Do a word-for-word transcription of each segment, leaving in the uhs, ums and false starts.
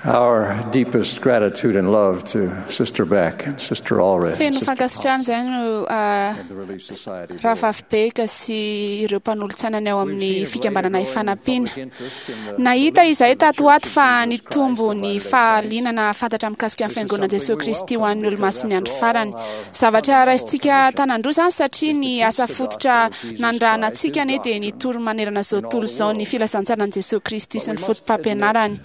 Our deepest gratitude and love to Sister Beck and Sister Allred. Feno fankasitrahana izany no Rahavavy Beck sy ireo mpanolotsainany ao amin'ny fikambanana Ifanampiana. Nahita izahay tato ho ato fa nitombo ny fahalianana fantatra mikasika ny Fiangonan'i Jesoa Kristy ho an'ny Olomasin'ny Andro Farany. Zavatra raisintsika tanan-droa izany satria ny asa fototra nanirahana antsika anie dia nitory manerana izao tontolo izao ny filazantsaran'i Jesoa Kristy sy ny fotopampianarany.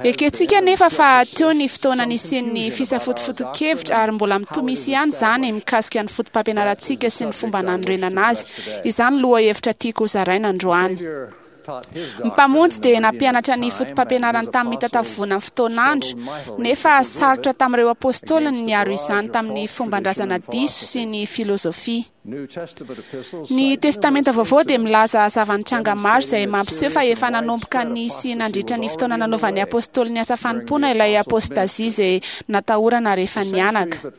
Ekentsika nefa fa teo ny fotoana nisian'ny fisafotofoton-kevitra ary mbola mitohy misy ihany izany mikasika ny fotopampianarantsika sy ny fomba nanorenana azy. Izany lohahevitra tiako hozaraina androany. Ny Mpamonjy dia nampianatra ny fotopampianarany tamin'ny mitataovovona ny fotoan'andro, nefa sarotra tamin'ireo apôstôliny ny niaro izany tamin'ny fomban-drazana diso sy ny filôzôfia. Ny Testamenta Vaovao dia milaza zava-nitranga maro izay mampiseho fa efa nanomboka nisy nandritra ny fotoana nanaovan'ny apôstôly ny asa fanompoana ilay apôstazia izay natahorana rehefa nianaka.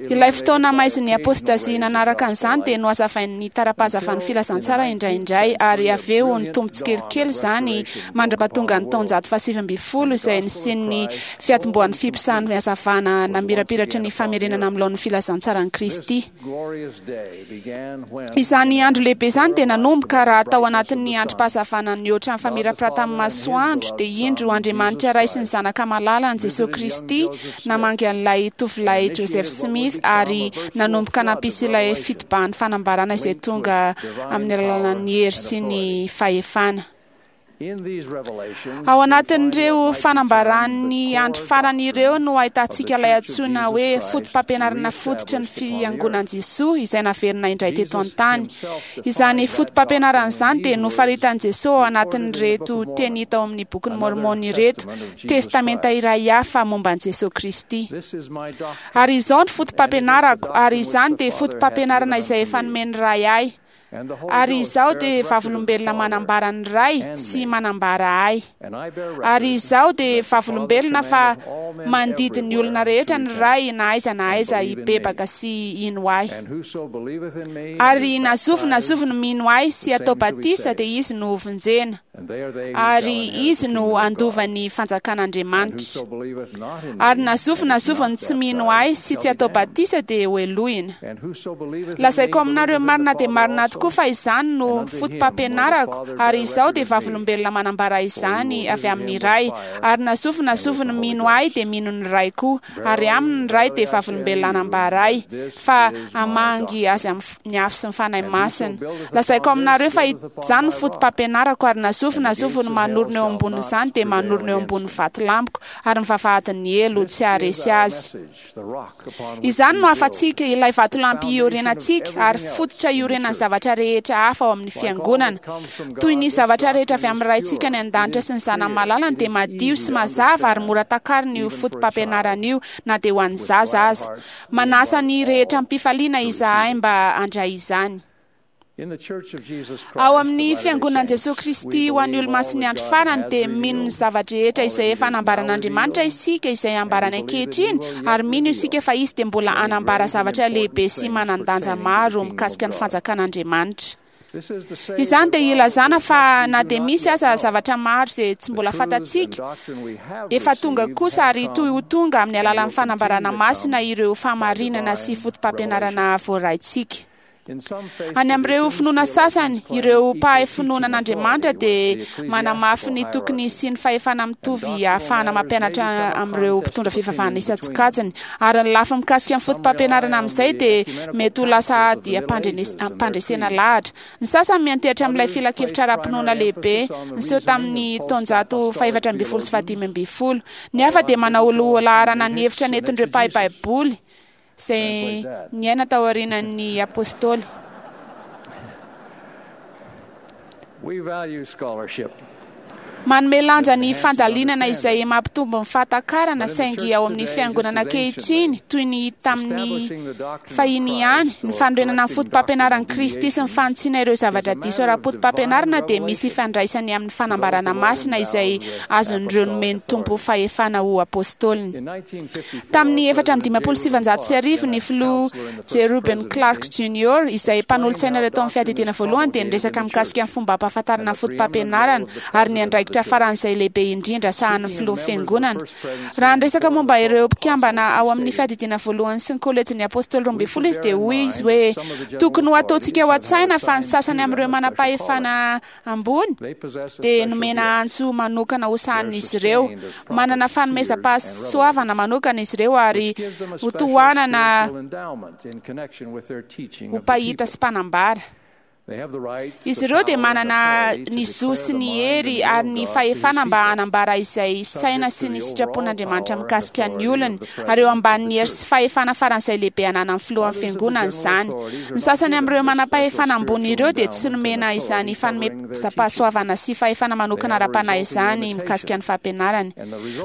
Ilay fotoana maizin'ny apôstazia nanaraka an'izany dia nohazavain'ny tara-pahazavan'ny filazantsara indraindray ary avy eo nitombo tsikelikely izany mandra-pahatonga ny taonjato fahasivy ambin'ny folo izay nisian'ny fiatombohan'ny fiposahan'ny hazavana namirapiratra ny famerenana amin'ny laon'ny filazantsaran'i Kristy. Izany andro lehibe izany dia nanomboka raha tao anatin'ny androm-pahazavana nihoatra ny famirapiratan'ny masoandro dia indro Andriamanitra Ray sy ny Zanaka malalany Jesoa Kristy namangy an'ilay tovolahy Joseph Smith ary nanomboka nampisy ilay fitobahan'ny fanambarana izay tonga amin'ny alalan'ny hery sy ny fahefana. Ao anatin'ireo fanambaran'ny andro farany ireo no ahitantsika ilay antsoina hoe fotopampianarana fototry ny Fiangonan'i Jesoa izay naverina indray teto an-tany. Izany fotopampianarana izany dia nofaritan'i Jesoa ao anatin'ireto teny hita ao amin'ny bokin'i Môrmôna ireto, testamenta iray hafa momba an'i Jesoa Kristy. Ary izao ny fotopampianarako, ary izany dia fotopampianarana izay efa nomen'ny Ray ahy. Ary izaho dia vavolombelona manambara ny Ray sy manambara ahy. Ary izaho dia vavolombelona fa mandidy ny olona rehetra ny Ray na aiza na aiza hibebaka sy hino ahy. Ary na zovy na zovy no mino ahy sy atao batisa dia izy no hovonjena. Ary izy no handova ny fanjakan'Andriamanitra. Ary na zovy na zovy no tsy mino ahy sy tsy atao batisa dia hohelohina. Lazaiko aminareo marina dia marina tokoa fa izany no fotopampianarako, ary izaho dia vavolombelona manambara izany avy amin'ny Ray. Ary na zovy na zovy no mino ahy dia mino ny Ray koa, ary aminy ny Ray dia vavolombelona hanambara ahy, fa hamangy azy amin'ny afo sy ny Fanahy Masina. Lazaiko aminareo fa izany no fotopampianarako, ary na zovy na zovy no manorina eo ambonin'izany dia manorina eo ambonin'ny vatolampiko, ary ny vavahadin'ny helo tsy haharesy azy. Izany no hafatsika, ilay vatolampy iorenantsika, ary fototra iorenan'ny zavatra rehetra hafa ao amin'ny fiangonana. Toy ny zavatra rehetra avy amin'ny Raintsika any an-danitra sy ny Zanany malalany dia madio sy mazava ary mora takarina io fotopampianarana io na dia ho an'ny zaza aza. Manasa ny rehetra amim-pifaliana izahay mba handray izany. Ao amin'ny Fiangonan'i Jesoa Kristy ho an'ny Olomasin'ny Andro Farany dia mino ny zava-drehetra izay efa nambaran'Andriamanitra isika izay ambarany ankehitriny, ary mino isika fa izy dia mbola hanambara zavatra lehibe sy manan-danja maro mikasika ny fanjakan'Andriamanitra. Izany dia ilazana fa na dia misy aza zavatra maro izay tsy mbola fantatsika, efa tonga kosa ary toy ho tonga amin'ny alalan'ny fanambarana masina ireo fahamarinana sy fotopampianarana voaraintsika. Any amin'ireo finoana sasany, ireo mpahay finoana an'Andriamanitra dia manamafy ny tokony hisian'ny fahefana mitovy ahafahana mampianatra amin'ireo mpitondra fivavahana isan-tsokajiny. Ary ny lafiny mikasika ny fotopampianarana amin'izay dia mety ho lasa ady ampandresena lahatra. Ny sasany miantehitra amin'ilay filankevitra ara-pinoana lehibe niseho tamin'ny taonjato fahefatra ambin'ny folo sy fahadimy ambin'ny folo. Ny hafa dia manao lohalaharana ny hevitra nentin'ireo mpahay Baiboly izay niaina taorian'ny apôstôly. Manome lanja ny fandalinana izay mampitombo ny fahatakarana, saingy ao amin'ny fiangonana ankehitriny, toy ny tamin'ny fahiny ihany, ny fanorenana ny fotopampianaran'i Kristy sy ny fanitsiana ireo zavatra diso ara-potopampianarana dia misy ifandraisany amin'ny fanambarana masina izay azon'ireo nomen'ny Tompo fahefana ho apôstôliny. Tamin'ny efatra amby dimampolo sy sivinjato sy arivo, ny filoha J. Reuben Clark Junior, izay mpanolotsaina iray tao amin'ny fiadidiana voalohany, dia niresaka mikasika ny fomba ampahafantarana ny fotopampianarana ary ny andraikitry andraikitra faran'izay lehibe indrindra sahanin'ny filohan'ny fiangonana. Raha niresaka momba ireo mpikambana ao amin'ny fiadidiana voalohany sy ny kolejin'ny apôstôly roa ambin'ny folo izy dia hoy izy hoe tokony ho ataontsika ao an-tsaina fa ny sasany amin'ireo manam-pahefana ambony dia nomena antso manokana ho sahanin'izy ireo. Manana fanomezam-pahasoavana manokana izy ireo ary ho tohanana ho mpahita sy mpanambara. Izy ireo dia manana ny zo sy ny hery ary ny fahefana mba hanambara izay saina sy ny sitrapon'Andriamanitra mikasika ny olony, ary eo ambanin'ny hery sy fahefana faran'izay lehibe ananan'ny filohan'ny fiangonana izany. Ny sasany amin'ireo manam-pahefana ambony ireo dia tsy nomena izany fanomezam-pahasoavana sy fahefana manokana ara-panahy izany mikasika ny fampianarany.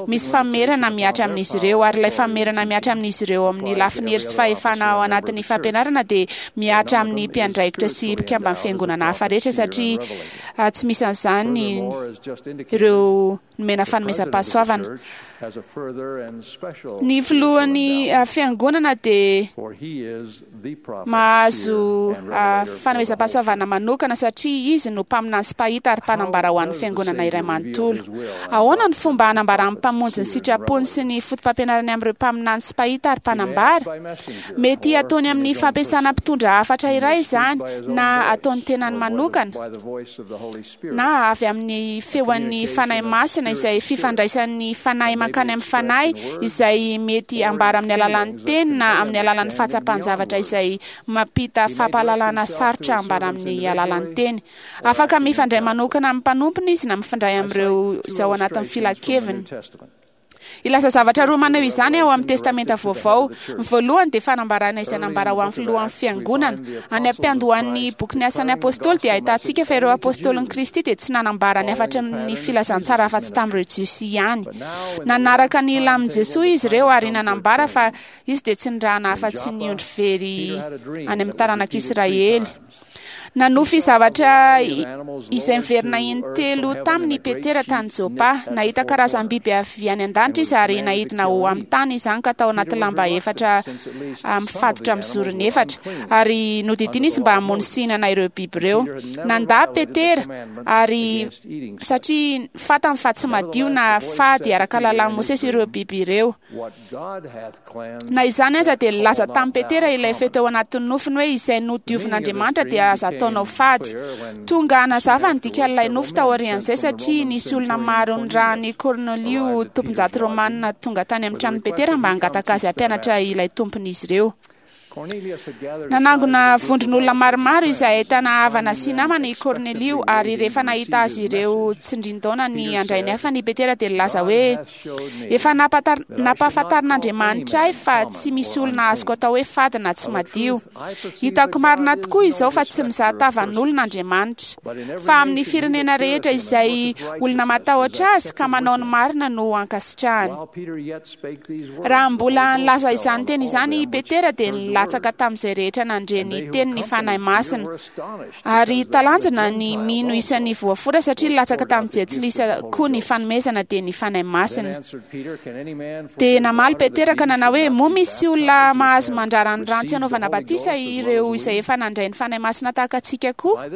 Misy famerana mihatra amin'izy ireo, ary ilay famerana mihatra amin'izy ireo amin'ny lafiny hery sy fahefana ao anatin'ny fampianarana dia mihatra amin'ny mpiandraikitra sy mpikambana fiangonana hafa rehetra, satria tsy misy an'izany ireo nomena fanomezam-pahasoavana. Ny filohan'ny fiangonana dia mahazo fanomezam-pahasoavana manokana satria izy no mpaminany sy mpahita ary mpanambara ho an'ny fiangonana iray manontolo. Ahoana ny fomba hanambaran'ny mpamonjy ny sitrapony sy ny foto-pampianarany amin'ireo mpaminany sy mpahita ary mpanambara? Mety ataony amin'ny fampiasana mpitondra hafatra iray izany, na ataony tenany manokana, na avy amin'ny feon'ny Fanahy Masina izay fifandraisan'ny fanahy mankany amin'ny fanahy izay mety ambara amin'ny alalan'ny teny na amin'ny alalan'ny fahatsapan-javatra izay mampita fampahalalana sarotra ambara amin'ny alalan'ny teny. Afaka mifandray manokana amin'ny mpanompony izy na mifandray amin'ireo izay ao anatin'ny filankeviny. Ilaza zavatra roa maneho izany ao amin'ny Testamenta Vaovao. Ny voalohany dia fanambarana izay nambara ho amin'ny filohan'ny fiangonana. Any am-piandohan'ny bokin'ny Asan'ny Apôstôly dia ahitantsika fa ireo apôstôlin'i Kristy dia tsy nanambara ny hafatry ny filazantsara afa-tsy tamin'ireo Jiosy ihany. Nanaraka ny lamin'i Jesoa izy ireo ary nanambara fa izy dia tsy nirahana afa-tsy ny ondry very any amin'ny taranak'Israely. Nanofy zavatra izay miverina intelo taminy Petera tany Jopa. Nahita karazam-biby avy any an-danitra izy ary nahidina ho amin'ny tany izany ka tao anaty lamba efatra mifatotra amin'ny zorony efatra, ary nodidina izy mba hamono sy hihinana ireo biby ireo. Nandà Petera ary satria fantany fa tsy madio na fady araka lalàn'i Mosesy ireo biby ireo. Na izany aza dia nilaza tamin'i Petera ilay feo teo anatin'ny nofiny hoe izay nodiovin'Andriamanitra dia aza ataonao fady. Tonga hanazava ny dikan'ilay nofy taorian'izay satria nisy olona maro nirahan'i Kornelio tomponjato romanina tonga tany amin'ny tranon'i Petera mba hangataka azy hampianatra ilay tompon'izy ireo. Nanangona vondron'olona maromaro izay ahitana havana sy namana i Kornelio, ary rehefa nahita azy ireo tsindrin-daona ny handray ny hafany i Petera dia nilaza hoe efa nampahafantarin'Andriamanitra ahy fa tsy misy olona azoko atao hoe fady na tsy madio. Hitako marina tokoa izao fa tsy mizaha tavan'olona Andriamanitra, fa amin'ny firenena rehetra izay olona matahotra azy ka manao ny marina no ankasitrahany. Raha mbola nilaza izany teny izany i Petera dia nilatsaka tamin'izay rehetra nandre ny teny ny Fanahy Masina, ary talanjona ny mino isan'ny voafora satria nilatsaka tamin'ny jentilisa koa ny fanomezana dia ny Fanahy Masina. Dia namaly Petera ka nanao hoe moa misy olona mahazo mandrara ny rano tsy hanaovana batisa ireo izay efa nandray ny Fanahy Masina tahaka antsika koa?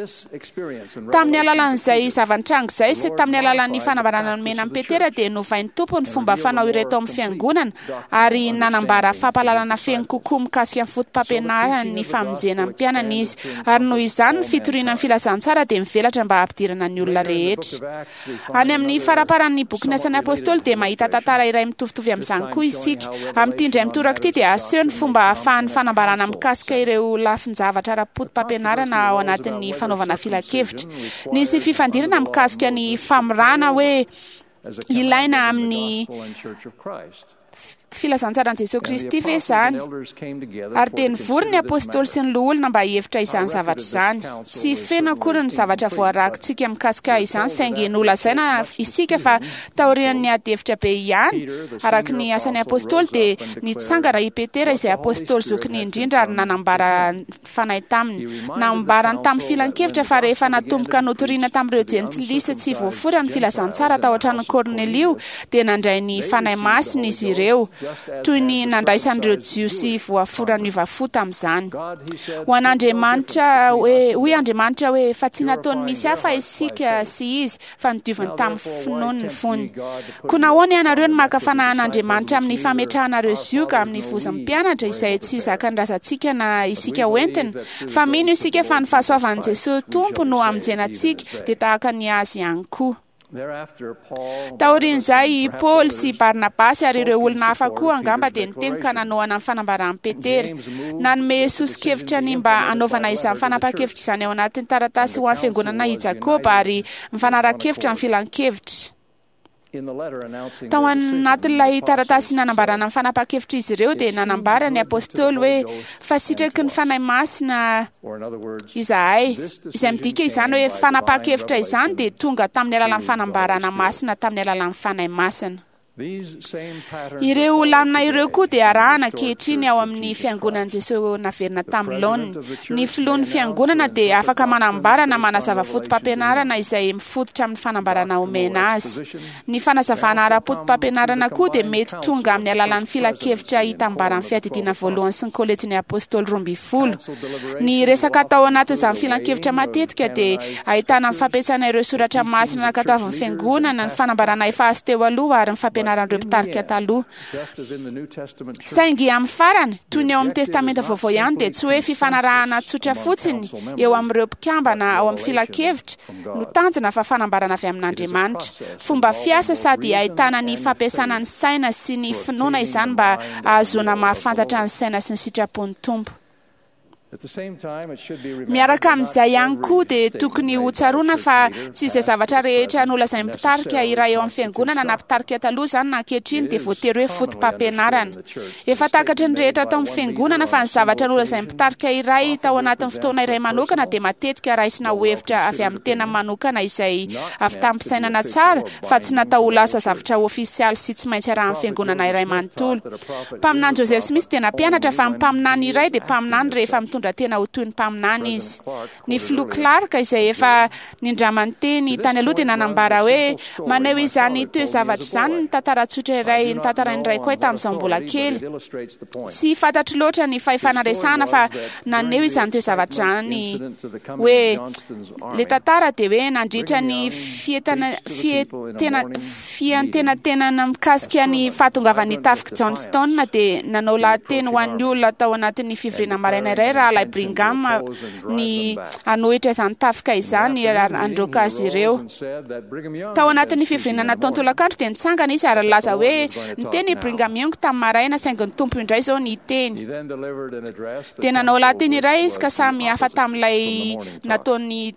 Tamin'ny alalan'izay zava-nitranga izay sy tamin'ny alalan'ny fanambarana nomena amin'i Petera dia novain'ny Tompo ny fomba fanao ireto amin'ny fiangonana ary nanambara fampahalalana feno kokoa mikasika ny foto-pampianarany ny famonjena ny mpianany izy, ary noho izany ny fitoriana ny filazantsara dia mivelatra mba hampidirana ny olona rehetra. Any amin'ny faramparan'ny bokin'ny Asan'ny Apôstôly dia mahita tantara iray mitovitovy amin'izany koa isika. Amin'ity indray mitoraka ity dia aseho ny fomba ahafahan'ny fanambarana mikasika ireo lafin-javatra ara-poto-pampianarana ao anatin'ny fanaovana filankevitra. Nisy fifandirana mikasika ny famorana hoe ilaina amin'ny filazantsaran'i Jesoa Kristy ve izany? Ary dia nivory ny apôstôly sy ny loholona mba hihevitra izany zavatra izany. Tsy feno akory ny zavatra voarakitsika mikasika izany, saingy nolazaina isika fa taorian'ny ady hevitra be ihany, araka ny asan'ny apôstôly, dia nitsangana i Petera izay apôstôly zokiny indrindra ary nanambara fanahy taminy. Nambarany tamin'ny filankevitra fa rehefa natomboka notoriana tamin'ireo jentilisa tsy voafora ny filazantsara tao an-tranon'i Kornelio, dia nandray ny Fanahy Masina izy ireo. toy ny nandraisan'ireo Jiosy voafora niova fo tamin'izany. Ho an'Andriamanitra hoe, hoy Andriamanitra hoe, fa tsy nataony misy hafa isika sy izy, fa nodioviny tamin'ny finoany ny fony. Koa nahoana ianareo no maka fanahy an'Andriamanitra amin'ny fametrahanareo zioga amin'ny vozon'ny mpianatra izay tsy zakan'ny razantsika na isika hoentina? Fa mino isika fa ny fahasoavan'i Jesosy Tompo no hamonjena antsika, dia tahaka ny azy ihany koa. Taorian'izay i Paoly sy Barnabasy ary ireo olona hafa koa angamba dia niteny ka nanohana ny fanambaran'i Petera. Nanome soso-kevitra ny mba hanaovana izany fanapahan-kevitra izany ao anatin'ny taratasy ho an'ny fiangonana i Jakoba ary mifanara-kevitra amin'ny filan-kevitra. Tao anatin'ilay taratasy nanambarana ny fanapahan-kevitra izy ireo dia nanambara ny apôstôly hoe fa sitraky ny Fanahy Masina izahay, izay midika izany hoe fanapahan-kevitra izany dia tonga tamin'ny alalan'ny fanambarana masina tamin'ny alalan'ny Fanahy Masina. Ireo lamina ireo koa dia arahana ankehitriny ao amin'ny fiangonan'i Jesosy naverina tamin'ny laoniny. Ny filohan'ny fiangonana dia afaka manambara na manazava foto-pampianarana izay mifototra amin'ny fanambarana omena azy. Ny fanazavana ara-poto-pampianarana koa dia mety tonga amin'ny alalan'ny filan-kevitra hitambaran'ny fiadidiana voalohany sy ny kolejin'ny apôstôly roa ambin'ny folo. Ny resaka atao anatin'izany filan-kevitra matetika dia ahitana ny fampiasana ireo soratra masina nankatoavin'ny fiangonana, ny fanambarana efa azo teo aloha ary ny fampianarana ireo mpitarika taloha. Saingy amin'ny farany, toy ny ao amin'ny Testamenta Vaovao ihany, dia tsy hoe fifanarahana tsotra fotsiny eo amin'ireo mpikambana ao amin'ny filan-kevitra no tanjona fa fanambarana avy amin'Andriamanitra. Fomba fiasa sady ahitana ny fampiasana ny saina sy ny finoana izany mba ahazoana mahafantatra ny saina sy ny sitrapon'ny Tompo. Miaraka amin'izay ihany koa dia tokony ho tsaroana fa tsy izay zavatra rehetra nolazain'ny mpitarika iray eo amin'ny fiangonana na mpitarika taloha izany na ankehitriny dia voatery hoe foto-pampianarana. Efa takatry ny rehetra tao amin'ny fiangonana fa ny zavatra nolazain'ny mpitarika iray tao anatin'ny fotoana iray manokana dia matetika raisina ho hevitra avy amin'ny tena manokana izay avy tamin'ny-pisainana tsara fa tsy natao ho lasa zavatra ofisialy sy tsy maintsy arahan'ny fiangonana iray manontolo. Mpaminany Joseph Smith dia nampianatra fa ny mpaminany iray dia mpaminany rehefa mitondra tena ho toy ny mpaminany izy. Ny filoha Clark izay efa nindramany teny tany aloha dia nanambara hoe maneho izany toe-zavatra izany ny tantara tsotra iray ny tantarain'ny raiko ahy tamin'izao mbola kely. Tsy fantatro loatra ny fahefana resahana fa naneho izany toe-zavatra izany hoe le tantara dia hoe nandritra ny fietana fietena fiantenatenana mikasika ny fahatongavan'ny tafik'i Johnston dia nanao lahateny ho an'ny olona tao anatin'ny fivoriana maraina iray rahalahy Brigham ny hanohitra izany tafika izany handroaka azy ireo. Tao anatin'ny fivoriana natao tolakandro dia nitsangana izy ary nilaza hoe niteny i Brigham Young tamin'ny maraina saingy ny Tompo indray izao niteny. Dia nanao lahateny iray izy ka samy hafa tamin'ilay nataony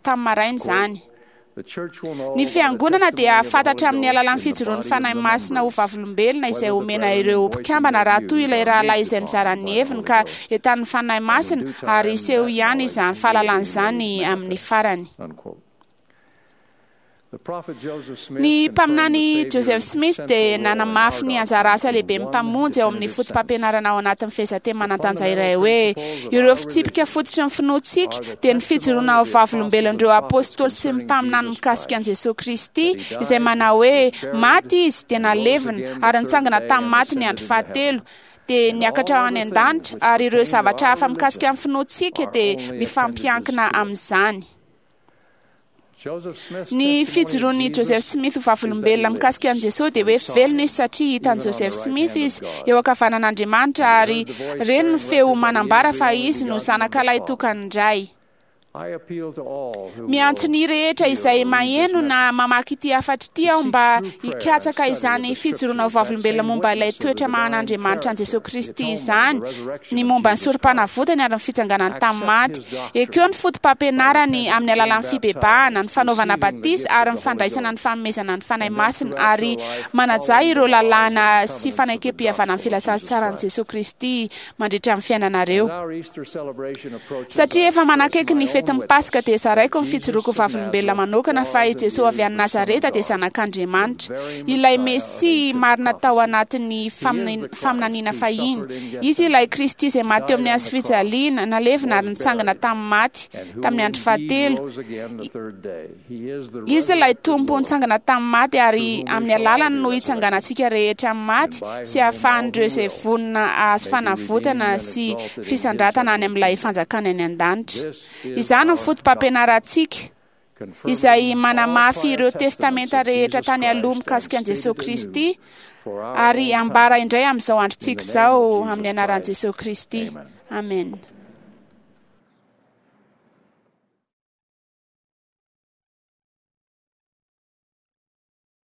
tamin'ny maraina izany. Ny fiangonana dia fantatra amin'ny alalan'ny fijoroan'ny Fanahy Masina ho vavolombelona izay omena ireo mpikambana raha toy ilay rahalahy izay mizara ny heviny ka entanin'ny Fanahy Masina ary hiseho ihany izany fahalalana izany amin'ny farany. Ny mpaminany Joseph Smith dia nanamafy ny anjara asa lehibe mpamonjy ao amin'ny foto-pampianarana ao anatin'ny fehezanteny manan-danja iray hoe ireo fitsipika fototry ny finoantsika dia ny fijoroana ho vavolombelon'ireo apôstôly sy ny mpaminany mikasika an'i Jesosy Kristy izay manao hoe maty izy dia nalevina ary nitsangana tamin'ny maty ny andro fahatelo dia niakatra any an-danitra ary ireo zavatra hafa mikasika ny finoantsika dia mifampiankina amin'izany. Ny fijoroan'i Joseph Smith ho vavolombelona mikasika an'i Jesosy dia hoe velona izy satria hitan'i Joseph Smith izy eo ankavanan'Andriamanitra ary reny ny feo manambara fa izy no zanaka lahy tokan'ny Ray. Miantso ny rehetra izay maheno na mamaky ity hafatra ity aho mba hikatsaka izany fijoroana ho vavolombelona momba ilay toetra maha-an'Andriamanitra an'i Jesosy Kristy izany, ny momba ny sorom-panavotany ary ny fitsanganany tamin'ny maty. Ekeo ny foto-pampianarany amin'ny alalan'ny fibebahana, ny fanaovana batisa ary ny fandraisana ny fanomezana ny Fanahy Masina ary manaja ireo lalàna sy fanekempihavanan'ny filazantsaran'i Jesosy Kristy mandritra ny fiainanareo. Satria efa manakaiky ny fetin'ny Paska dia zaraiko ny fijoroako vavolombelona manokana fa i Jesoa avy any Nazareta dia zanak'Andriamanitra, ilay Mesia marina tao anatin'ny faminaniana fahiny. Izy ilay Kristy izay maty teo amin'ny hazo fijaliana, nalevina ary nitsangana tamin'ny maty tamin'ny andro fahatelo. Izy ilay Tompo nitsangana tamin'ny maty ary amin'ny alalany no hitsanganantsika rehetra amin'ny maty sy ahafahan'ireo izay vonona hahazo fanavotana sy fisandratana any amin'ilay fanjakana any an-danitra. Izany no foto-pampianarantsika izay manamafy ireo testamenta rehetra tany aloha mikasika an'i Jesoa Kristy ary ambara indray amin'izao androntsika izao amin'ny anaran'i Jesoa Kristy. Amen.